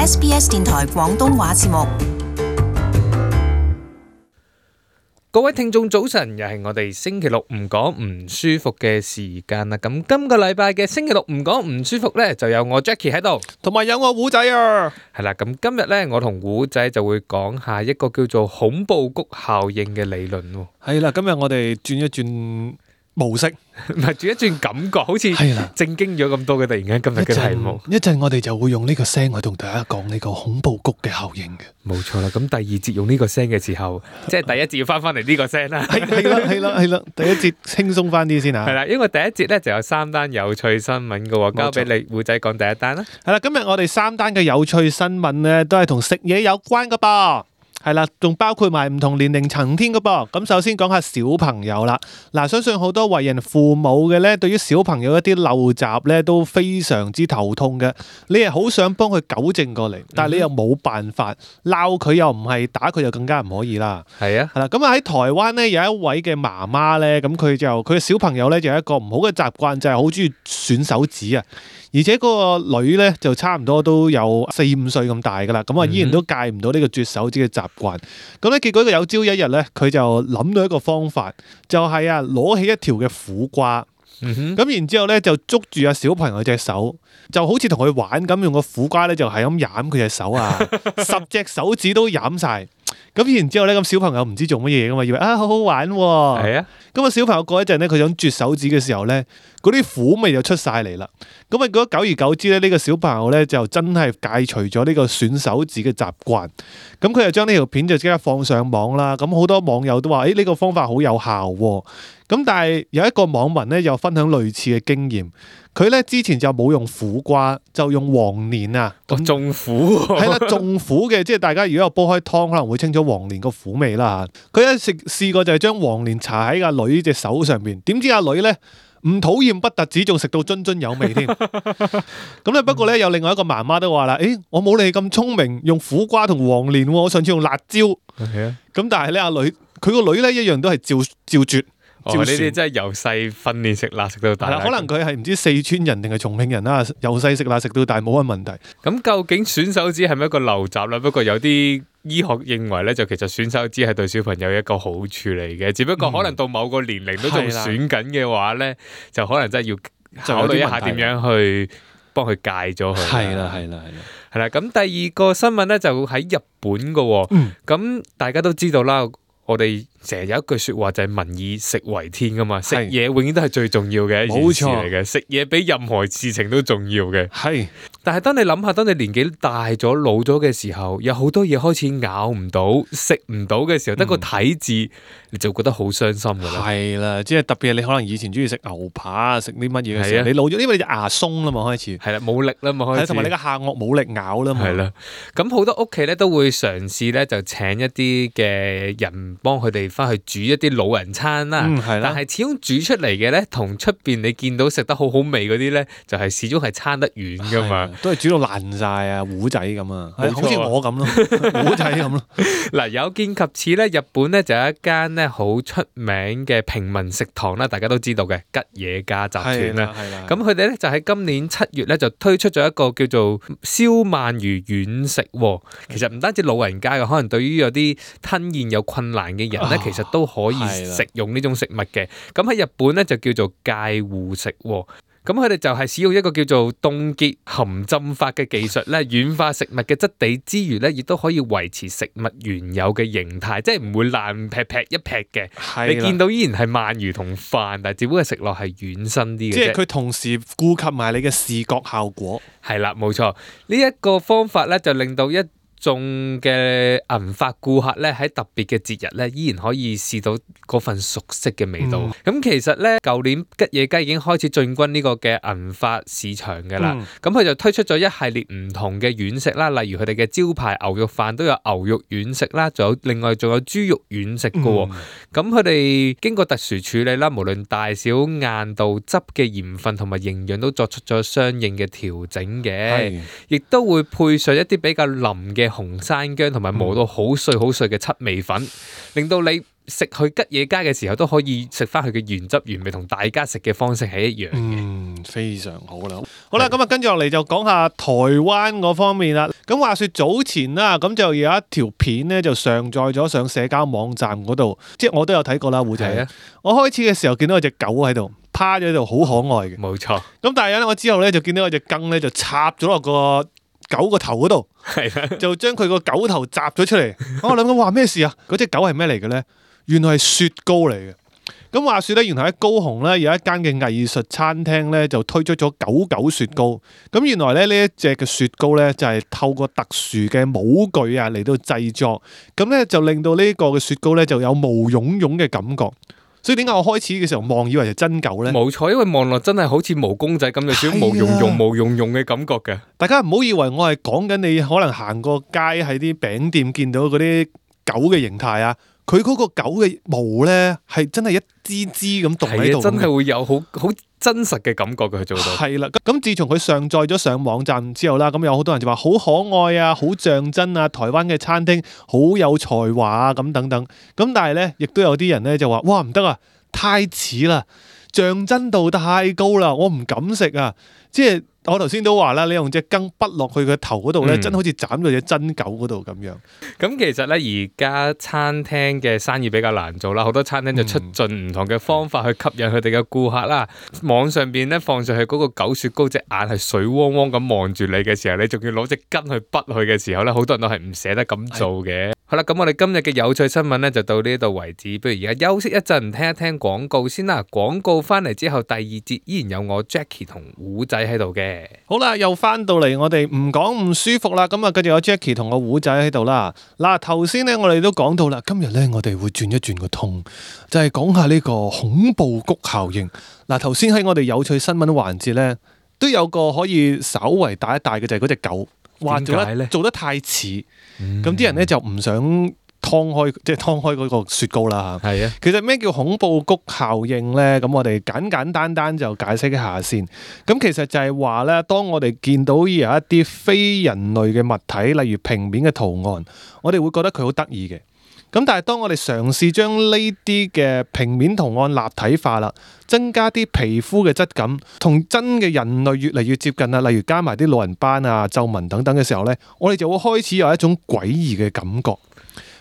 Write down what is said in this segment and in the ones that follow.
SBS 電台廣東話節目。各位聽眾早晨，又係我哋星期六唔講唔舒服嘅時間啦。咁今個禮拜嘅星期六唔講唔舒服呢，就有我 Jackie 喺度，同埋有我胡仔啊。係啦，咁今日呢，我同胡仔就會講下一個叫做恐怖谷效應嘅理論。係啦，今日我哋轉一轉模式，唔係轉一轉感覺，好似正經咗咁多嘅。突然間今日嘅題目，一陣我哋就會用呢個聲去同大家講呢個恐怖谷嘅效應嘅。冇錯啦，咁第二節用呢個聲嘅時候，即係第一節要翻嚟呢個聲啦。係啦，第一節輕鬆翻啲先啊。係啦，因為第一節咧就有3單有趣新聞嘅，交俾你胡仔講第一單啦。係啦，今日我哋3單嘅有趣新聞咧，都係同食嘢有關噶噃。係啦，仲包括埋唔同年齡層添噶噃。咁首先講下小朋友啦。嗱，相信好多為人父母嘅咧，對於小朋友一啲陋習咧，都非常之頭痛嘅。你係好想幫佢糾正過嚟，但係你又冇辦法，鬧佢又唔係，打佢就更加唔可以啦。係啊，係啦。咁啊喺台灣咧，有一位嘅媽媽咧，咁佢嘅小朋友咧就有一個唔好嘅習慣，就係好中意吮手指啊。而且嗰個女咧就差唔多都有4-5歲咁大噶啦，咁啊依然都戒唔到呢個啜手指嘅習慣。咁咧結果有朝一日咧，佢就諗到一個方法，就係攞起一條嘅苦瓜，咁然之後咧就捉住小朋友隻手，就好似同佢玩咁，用個苦瓜咧就係咁舐佢隻手啊，10隻手指都舐晒。咁然之後咧，咁小朋友唔知做乜嘢噶嘛，以為好好玩喎。係啊。咁啊小朋友過一陣咧，佢想啜手指嘅時候咧，嗰啲苦味就出晒嚟啦。咁啊，久而久之咧，呢個小朋友咧就真係戒除咗呢個吮手指嘅習慣。咁佢就將呢條片就即刻放上網啦。咁好多網友都話：呢個方法好有效喎。咁但係有一個網民咧又分享類似嘅經驗。佢咧之前就冇用苦瓜，就用黃連啊。種苦係啦，種苦嘅，即係大家如果有煲開湯，可能會清楚黃連個苦味啦嚇。佢一試過就係將黃連搽喺阿女隻手上邊，點知阿女咧唔討厭不特止，仲食到津津有味添。咁咧不過咧有另外一個媽媽都話啦：我冇你咁聰明，用苦瓜同黃連喎，我上次用辣椒。咁但係咧阿女佢個女咧一樣都係照啜。呢啲真係由細訓練食辣食到大。可能佢係唔知四川人定係重慶人啦，由細食辣食到大冇乜問題。咁究竟吮手指係咪一個陋習咧？不過有啲醫學認為咧，就其實吮手指係對小朋友一個好處嚟嘅，只不過可能到某個年齡都仲吮緊嘅話咧，就可能真係要考慮一下點樣去幫佢戒咗佢。係啦。咁第二個新聞咧就喺日本噶。咁大家都知道啦。我哋成日有一句說話就係民以食為天噶嘛，食嘢永遠都係最重要嘅一件事嚟嘅，食嘢比任何事情都重要嘅。係，但係當你諗下，當你年紀大咗、老咗嘅時候，有好多嘢開始咬唔到、食唔到嘅時候，得個睇字，你就覺得好傷心噶啦。係啦，即係特別係你可能以前中意食牛扒、食啲乜嘢嘅時候，你老咗，因為你隻牙鬆啦嘛，開始係啦，冇力啦嘛，開始同埋你個下頜冇力咬啦嘛。係啦，咁好多屋企咧都會嘗試咧就請一啲嘅人幫佢哋翻去煮一啲老人餐啦。但係始終煮出嚟嘅咧，同出邊你見到食得好好味嗰啲咧，就係始終係差得遠噶嘛。都係煮到爛晒啊，糊仔咁啊，好似我咁咯，糊仔咁咯。嗱，有見及此咧，日本咧就有一間咧好出名嘅平民食堂啦，大家都知道嘅吉野家集團啦。咁佢哋咧就喺今年7月咧就推出咗一個叫做燒鰻魚軟食。其實唔單止老人家嘅，可能對於有啲吞嚥有困難嘅人咧，其實都可以食用呢種食物嘅。咁喺日本咧就叫做介護食。咁佢哋就係使用一個叫做凍結含浸法嘅技術咧，軟化食物嘅質地之餘咧，亦都可以維持食物原有嘅形態，即係唔會爛劈劈一劈嘅。你見到依然係鰻魚同飯，但係只不過食落係軟身啲嘅啫。即係佢同時顧及埋你嘅視覺效果。係啦，冇錯。呢一個方法咧就令到一眾嘅銀髮顧客咧喺特別嘅節日咧，依然可以試到嗰份熟悉嘅味道。咁其實咧，舊年吉野家已經開始進軍呢個嘅銀髮市場嘅啦。咁佢就推出咗一系列唔同嘅軟食啦，例如佢哋嘅招牌牛肉飯都有牛肉軟食啦，另外仲有豬肉軟食嘅。咁佢哋經過特殊處理啦，無論大小、硬度、汁嘅鹽分同埋營養都作出咗相應嘅調整嘅，亦都會配上一啲比較腍嘅紅山薑同埋磨到好碎好碎嘅七味粉，令到你食去吉野家嘅時候都可以食翻佢嘅原汁原味，同大家食嘅方式係一樣嘅。非常好啦。好啦，咁啊跟住落嚟就講下台灣嗰方面啦。咁話說早前啦，咁就有一條片咧就上載咗上社交網站嗰度，即係我都有睇過啦，胡仔。係啊，我開始嘅時候見到有隻狗喺度趴咗喺度，好可愛嘅。冇錯。咁但係咧，我之後咧就見到有隻羹咧就插咗落個狗個頭嗰度，係啦，就將佢個狗頭摘咗出嚟。我諗緊話咩事啊？嗰隻狗係咩嚟嘅咧？原來係雪糕嚟嘅。咁話說咧，原來喺高雄咧有一間嘅藝術餐廳咧就推出咗狗狗雪糕。咁原來咧呢一隻嘅雪糕咧就係透過特殊嘅模具啊嚟到製作，咁咧就令到呢個嘅雪糕咧就有毛茸茸嘅感覺。所以點解我開始嘅時候望以為係真狗咧？冇錯，因為望落真係好似毛公仔咁，有少少毛茸茸嘅感覺嘅。大家唔好以為我係講緊你可能行過街喺啲餅店見到嗰啲狗嘅形態啊。佢嗰個狗嘅毛咧，係真係一支支咁棟喺度，真係會有好真實嘅感覺嘅，佢做到。係啦，咁自從佢上載咗上網站之後啦，咁有好多人就話好可愛啊，好像真啊，台灣嘅餐廳好有才華啊，咁等等。咁但係咧，亦都有啲人咧就話：哇，唔得啊，太似啦，像真度太高啦，我唔敢食啊！即係我頭先都話啦，你用隻羹滗落去個頭嗰度咧，真好似斬到隻真狗嗰度咁樣。咁其實咧，而家餐廳嘅生意比較難做啦，好多餐廳就出盡唔同嘅方法去吸引佢哋嘅顧客啦。網上邊咧放上去嗰個狗雪糕，隻眼係水汪汪咁望住你嘅時候，你仲要攞隻羹去滗佢嘅時候咧，好多人都係唔捨得咁做嘅。好啦，咁我哋今日嘅有趣新聞咧就到呢度為止，不如而家休息一陣，聽一聽廣告先啦。廣告翻嚟之後，第二節依然有我 Jackie 同胡仔喺度嘅。好啦，又翻到嚟我哋唔講唔舒服啦，咁啊，繼續有 Jackie 同個胡仔喺度啦。嗱，頭先咧我哋都講到啦，今日咧我哋會轉一轉個通，就係講下呢個恐怖谷效應。嗱，頭先喺我哋有趣新聞環節咧，都有個可以稍為帶一帶嘅，就係嗰隻狗，話做得太似，咁啲人咧就唔想劏開嗰個雪糕啦嚇。係啊，其實咩叫恐怖谷效應咧？咁我哋簡單就解釋一下先。咁其實就係話咧，當我哋見到有一啲非人類嘅物體，例如平面嘅圖案，我哋會覺得佢好得意嘅。咁但係當我哋嘗試將呢啲嘅平面圖案立體化啦，增加啲皮膚嘅質感，同真嘅人類越嚟越接近啦，例如加埋啲老人斑啊、皺紋等等嘅時候咧，我哋就會開始有一種詭異嘅感覺。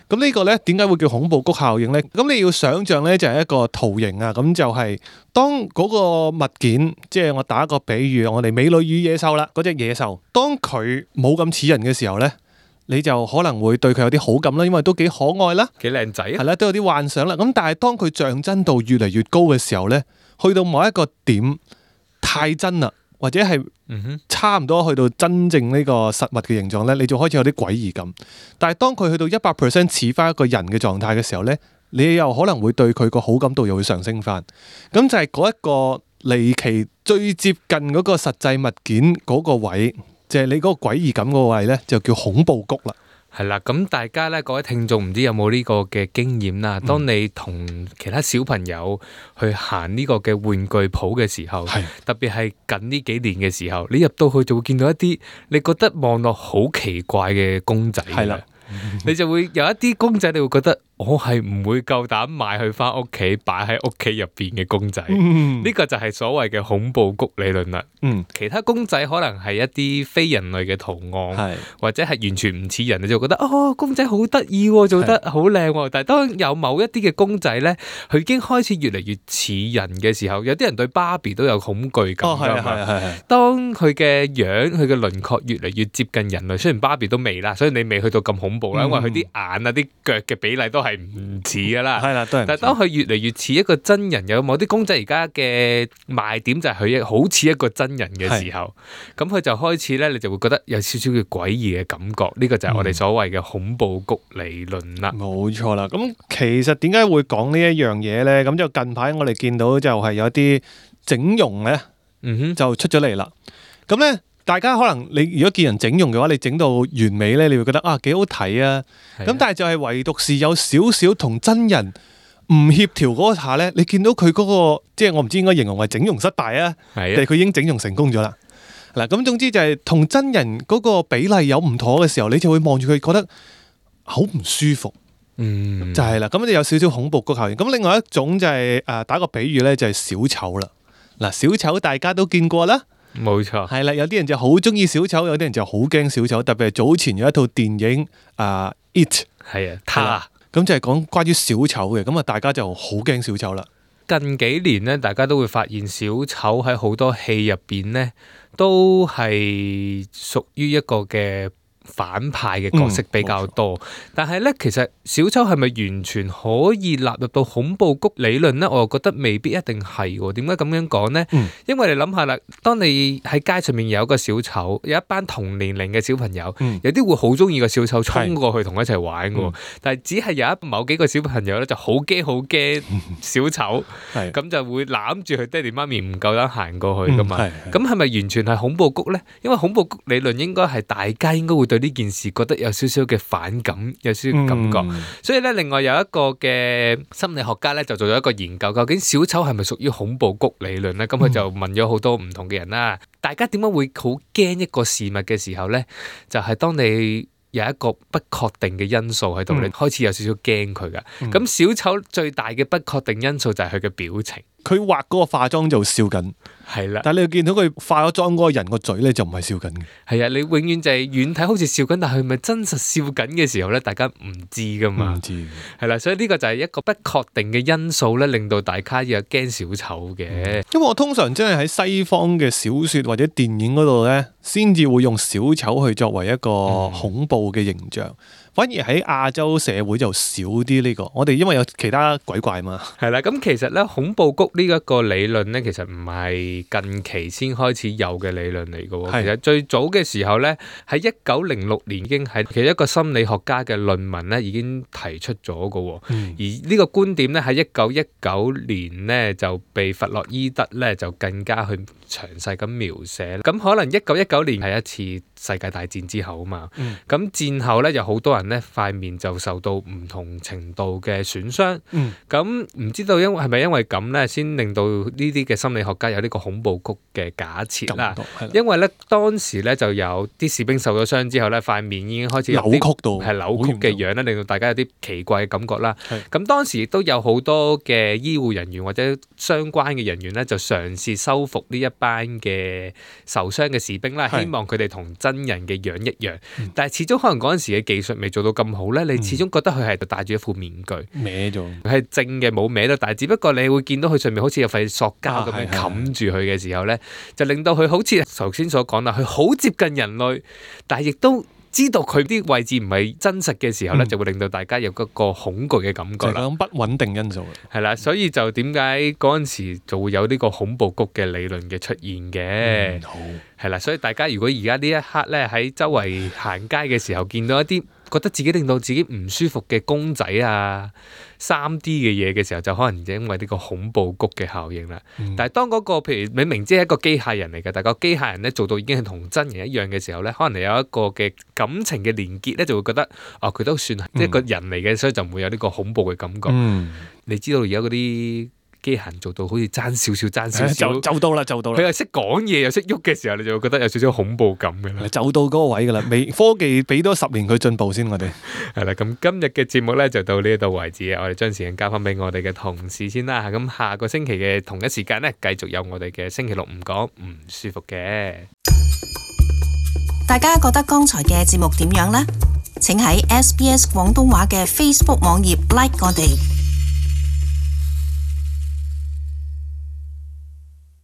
咁呢個咧點解會叫恐怖谷效應呢？咁你要想像咧就係一個圖形啊，咁就係當嗰個物件，即係我打一個比喻，我哋美女與野獸啦，嗰隻野獸，當佢冇咁似人嘅時候咧，你就可能會對佢有啲好感啦，因為都幾可愛啦，幾靚仔啊，係啦，都有啲幻想啦。咁但係當佢像真度越嚟越高嘅時候咧，去到某一個點太真啦，或者係差唔多去到真正呢個實物嘅形狀咧，你就開始有啲詭異感。但係當佢去到100%似翻一個人嘅狀態嘅時候咧，你又可能會對佢個好感度又會上升翻。咁就係嗰一個離奇最接近嗰個實際物件嗰個位，就係你嗰個詭異感嗰個位咧，就叫恐怖谷啦。係啦，咁大家咧，各位聽眾唔知有冇呢個嘅經驗啦？當你同其他小朋友去行呢個嘅玩具鋪嘅時候，特別係近呢幾年嘅時候，你入到去就會見到一啲你覺得望落好奇怪嘅公仔嘅，你就會有一啲公仔，你會覺得我係唔會夠膽買去翻屋企擺喺屋企入邊嘅公仔。呢個就係所謂嘅恐怖谷理論啦。其他公仔可能係一啲非人類嘅圖案，或者係完全唔似人，你就覺得哦，公仔好得意，做得好靚。但係當有某一啲嘅公仔咧，佢已經開始越嚟越似人嘅時候，有啲人對芭比都有恐懼感㗎嘛。當佢嘅樣、佢嘅輪廓越嚟越接近人類，雖然芭比都未啦，所以你未去到咁恐怖啦，因為佢啲眼啊、啲腳嘅比例都係唔似噶啦。但係當佢越嚟越似一個真人，有某啲公仔而家嘅賣點就係佢好似一個真人嘅時候，咁佢就開始咧，你就會覺得有少少嘅詭異嘅感覺。呢個就係我哋所謂嘅恐怖谷理論啦。冇錯啦。咁其實點解會講呢一樣嘢咧？咁就近排我哋見到就係有啲整容咧，就出咗嚟啦。咁咧，大家可能你如果見人整容嘅話，你整到完美咧，你會覺得啊幾好睇啊。咁但係就係唯獨是有少少同真人唔協調嗰下咧，你見到佢嗰個，即係我唔知應該形容為整容失敗啊，定係佢已經整容成功咗啦。嗱，咁總之就係同真人嗰個比例有唔妥嘅時候，你就會望住佢覺得好唔舒服。就係啦。咁你有少少恐怖谷效應。咁另外一種就係打個比喻咧，就係小丑啦。嗱，小丑大家都見過啦。冇錯，係啦，有啲人就好中意小丑，有啲人就好驚小丑。特別係早前有一套電影It， 係啊，咁就係講關於小丑嘅，咁啊大家就好驚小丑啦。近幾年咧，大家都會發現小丑喺好多戲入邊咧，都係屬於一個嘅反派嘅角色比較多，但係咧，其實小丑係咪完全可以納入到恐怖谷理論咧？我又覺得未必一定係喎。點解咁樣講咧？因為你諗下啦，當你喺街上面有一個小丑，有一班同年齡嘅小朋友，有啲會好中意個小丑，衝過去同佢一齊玩嘅。但係只係有某幾個小朋友咧，就好驚小丑，咁就會攬住佢爹哋媽咪，唔夠膽行過去噶嘛。咁係咪完全係恐怖谷咧？因為恐怖谷理論應該係大家應該會對呢件事覺得有少少嘅反感，有少少感覺，所以咧，另外有一個嘅心理學家咧就做咗一個研究，究竟小丑係咪屬於恐怖谷理論咧？咁佢就問咗好多唔同嘅人啦，大家點解會好驚一個事物嘅時候咧？就係當你有一個不確定嘅因素喺度，你開始有少少驚佢噶。咁小丑最大嘅不確定因素就係佢嘅表情。佢畫嗰個化妝就笑緊，係啦。但係你見到佢化咗妝嗰個人個嘴咧就唔係笑緊嘅。係啊，你永遠就係遠睇好似笑緊，但係佢咪真實笑緊嘅時候咧，大家唔知噶嘛。唔知。係啦，所以呢個就係一個不確定嘅因素咧，令到大家有驚小丑嘅。因為我通常真係喺西方嘅小說或者電影嗰度咧，先至會用小丑去作為一個恐怖嘅形象。反而喺亞洲社會就少啲呢個，我哋因為有其他鬼怪嘛。係啦，咁其實咧恐怖谷呢一個理論咧，其實唔係近期先開始有嘅理論嚟嘅喎。其實最早嘅時候咧，喺1906年已經係其實一個心理學家嘅論文咧已經提出咗嘅喎。而呢個觀點咧喺1919年咧就被弗洛伊德咧就更加去詳細咁描寫。咁可能1919年係一次世界大戰之後啊嘛。咁戰後咧有好多人咧塊面就受到唔同程度嘅損傷，咁唔知道係咪因為咁咧，先令到呢啲嘅心理學家有呢個恐怖谷嘅假設啦。因為咧當時咧就有啲士兵受咗傷之後咧，塊面已經開始有扭曲嘅樣咧，令到大家有啲奇怪嘅感覺啦。咁當時亦都有好多嘅醫護人員或者相關嘅人員咧，就嘗試修復呢一班嘅受傷嘅士兵啦，希望佢哋同真人嘅樣一樣。但係始終可能嗰陣時嘅技術未做到咁好咧，你始終覺得佢係戴住一副面具，歪咗，係正嘅冇歪到，但係只不過你會見到佢上面好似有塊塑膠咁樣冚住佢嘅時候咧，就令到佢好似頭先所講啦，佢好接近人類，但係亦都知道佢啲位置唔係真實嘅時候咧，就會令到大家有嗰個恐懼嘅感覺啦。就係咁不穩定因素。係啦，所以就點解嗰陣時就會有呢個恐怖谷嘅理論嘅出現嘅。好。係啦，所以大家如果而家呢一刻咧喺周圍行街嘅時候，見到一啲覺得自己令到自己唔舒服嘅公仔啊、3D 嘅嘢嘅時候，就可能因為呢個恐怖谷嘅效應啦。但係當嗰個譬如你明知係一個機械人嚟嘅，但係個機械人咧做到已經係同真人一樣嘅時候咧，可能你有一個嘅感情嘅連結咧，就會覺得佢都算係一個人嚟嘅，所以就唔會有呢個恐怖嘅感覺。你知道而家嗰啲機械人做到好似爭少少，就到啦。佢又識講嘢又識喐嘅時候，你就會覺得有少少恐怖感嘅啦。就到嗰個位噶啦，科技俾多10年佢進步先，我哋係啦。咁今日嘅節目咧就到呢度為止啊！我哋將時間交翻俾我哋嘅同事先啦。咁下個星期嘅同一時間咧，繼續有我哋嘅星期六唔講唔舒服嘅。大家覺得剛才嘅節目點樣呢？請喺SBS 廣東話嘅 Facebook 網頁 like 我哋。